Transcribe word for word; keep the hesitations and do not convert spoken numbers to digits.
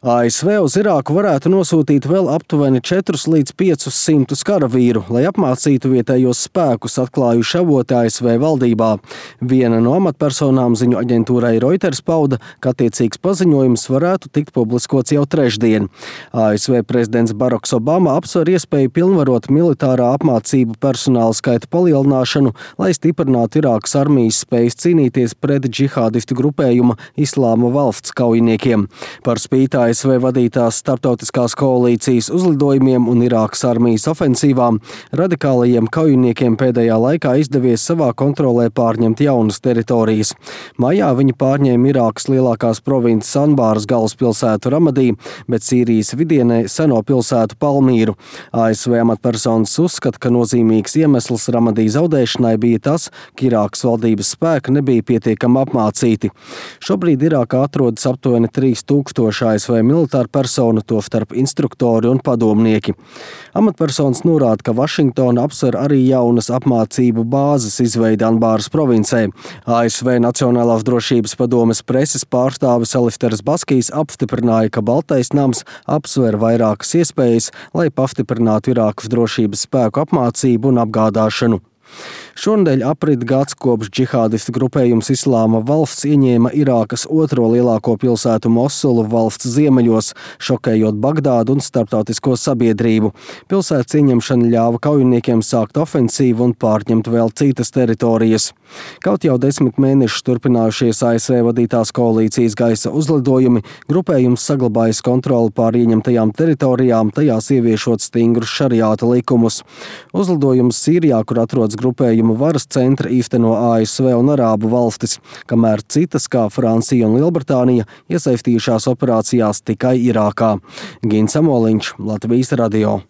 A S V uz Irāku varētu nosūtīt vēl aptuveni četrus līdz piecus simtus karavīru, lai apmācītu vietējos spēkus, atklājuši avoti A S V valdībā. Viena no amatpersonām ziņu aģentūrai Reuters pauda, ka attiecīgs paziņojums varētu tikt publiskots jau trešdien. A S V prezidents Baraks Obama apsver iespēju pilnvarot militārā apmācību personāla skaita palielināšanu, lai stiprinātu Irākas armijas spējas cīnīties pret džihādistu grupējuma Islāma valsts kaujiniekiem. Par spīti A S V vadītās starptautiskās koalīcijas uzlidojumiem un Irākas armijas ofensīvām, radikālajiem kaujiniekiem pēdējā laikā izdevies savā kontrolē pārņemt jaunas teritorijas. Maijā viņi pārņēma Irākas lielākās provinces Anbāras galvaspilsētu Ramadī, bet Sīrijas vidienē seno pilsētu Palmīru. A S V amatpersonas uzskata, ka nozīmīgs iemesls Ramadī zaudēšanai bija tas, ka Irākas valdības spēki nebija pietiekami apmācīti. Šobrīd Irākā atrodas aptuveni trīs tūkstoši A S V militāru personu, tostarp instruktori un padomnieki. Amatpersonas norāda, ka Vašingtona apsver arī jaunas apmācību bāzes izveidi Anbāras provincē. A S V Nacionālās drošības padomes preses pārstāvis Alifters Baskijs apstiprināja, ka Baltais nams apsver vairākas iespējas, lai pastiprinātu Irākas drošības spēku apmācību un apgādāšanu. Šonedēļ aprit gads kopš džihādistu grupējums Islāma valsts ieņēma Irākas otro lielāko pilsētu Mosulu valsts ziemeļos, šokējot Bagdādu un starptautisko sabiedrību. Pilsētas ieņemšana ļāva kaujiniekiem sākt ofensīvu un pārņemt vēl citas teritorijas. Kaut jau desmit mēnešus turpinājušies A S V vadītās koalīcijas gaisa uzlidojumi, grupējums saglabājas kontroli pār ieņemtajām teritorijām, tajās ieviešot stingrus šariāta likumus. Uzlidojums Sīrijā, kur atrodas grupējuma varas centra, īsteno A S V un Arābu valstis, kamēr citas, kā Francija un Lielbritānija, iesaistījušās operācijās tikai Irākā. Gins Amoliņš, Latvijas radio.